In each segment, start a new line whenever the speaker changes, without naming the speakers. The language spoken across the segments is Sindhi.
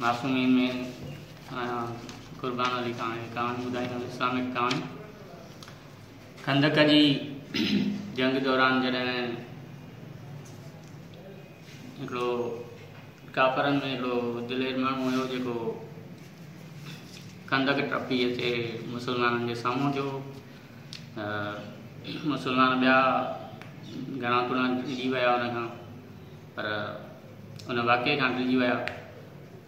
معصومين ۾ آهيان قربان علي خان کي ڪهاڻي ٻڌائيندم اسلامڪ ڪهاڻي. خندق جي جنگ دوران جڏهن هڪڙو ڪافرن ۾ هڪڙو دلير ماڻهو هيو جيڪو خندق ٽپي اچي مسلمانن جي سامهون ٿيو. مسلمان ٻيا گهڻا تڻا ڊڄي ويا ان کان، پر ان واقعي کان ڊڄي ويا.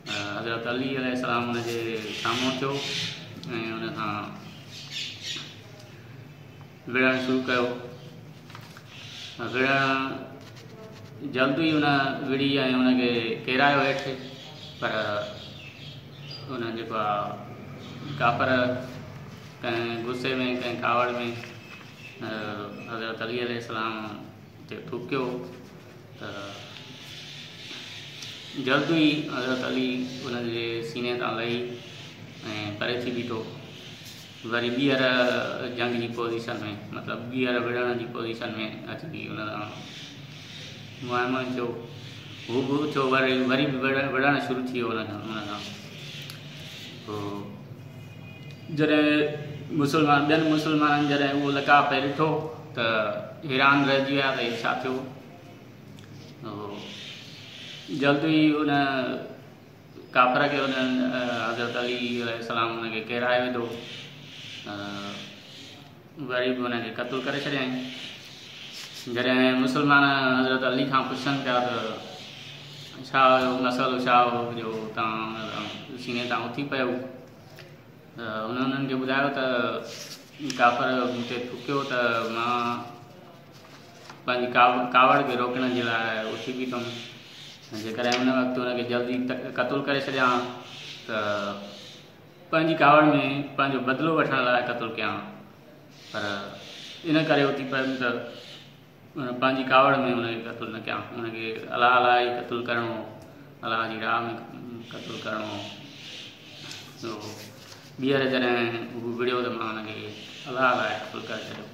حضرت علي عليه السلام ان جي سامهون ٿيو ۽ ان کان وڙهڻ شروع ڪيو. وڙهڻ جلد ئي ان وڙهي ۽ ان کي ڪيرايو هيٺ، پر ان جيڪو آ ڪافر ڪنهن غصي ۾ ڪنهن ڪاوڙ ۾ حضرت علي عليه السلام تي ٿوڪيو ته جلد ئي حضرت علي ان جي سيني تان لهي ۽ پري ٿي بيٺو. وري ٻيهر جنگ جي پوزيشن ۾، مطلب ٻيهر وڙهڻ جي پوزيشن ۾ اچي ان سان مهمن ٿيو. هو به اٿيو، وري وري به وڙهڻ شروع ٿي ويو ان سان. پوء جڏهن مسلمان ٻين مسلمانن جڏهن اهو لقاء پئي ڏٺو ته حيران رهجي ويا ته هي ڇا ٿيو. جلد ئي ان ڪافر کي ان حضرت علي عليه السلام ان کي ڪيرائي وڌو، وري به ان کي قتل ڪري ڇڏيائين. جڏهن مسلمان حضرت علي کان پڇن پيا ته ڇا هيو مسئلو، ڇا هو جو توهان سيني تان اٿي پيو، ته هن انهن کي ٻڌايو ته ڪافر مون تي ٿڪيو ته مان پنهنجي ڪاوڙ کي روڪڻ جي لاء اٿي بيٺم، جيڪڏهن ان وقت ان کي جلدي قتل ڪري ڇڏيان ته پنهنجي ڪاوڙ ۾ پنهنجو بدلو وٺڻ لاء قتل ڪيان، پر ان ڪري اٿي پيم ته پنهنجي ڪاوڙ ۾ ان کي قتل نه ڪيان، ان کي الله لاء ئي قتل ڪرڻو هو، الله جي راهه ۾ قتل ڪرڻو هو. ٻيهر جڏهن هو وڙهيو ته مان ان کي الله لاء قتل ڪري ڇڏيو.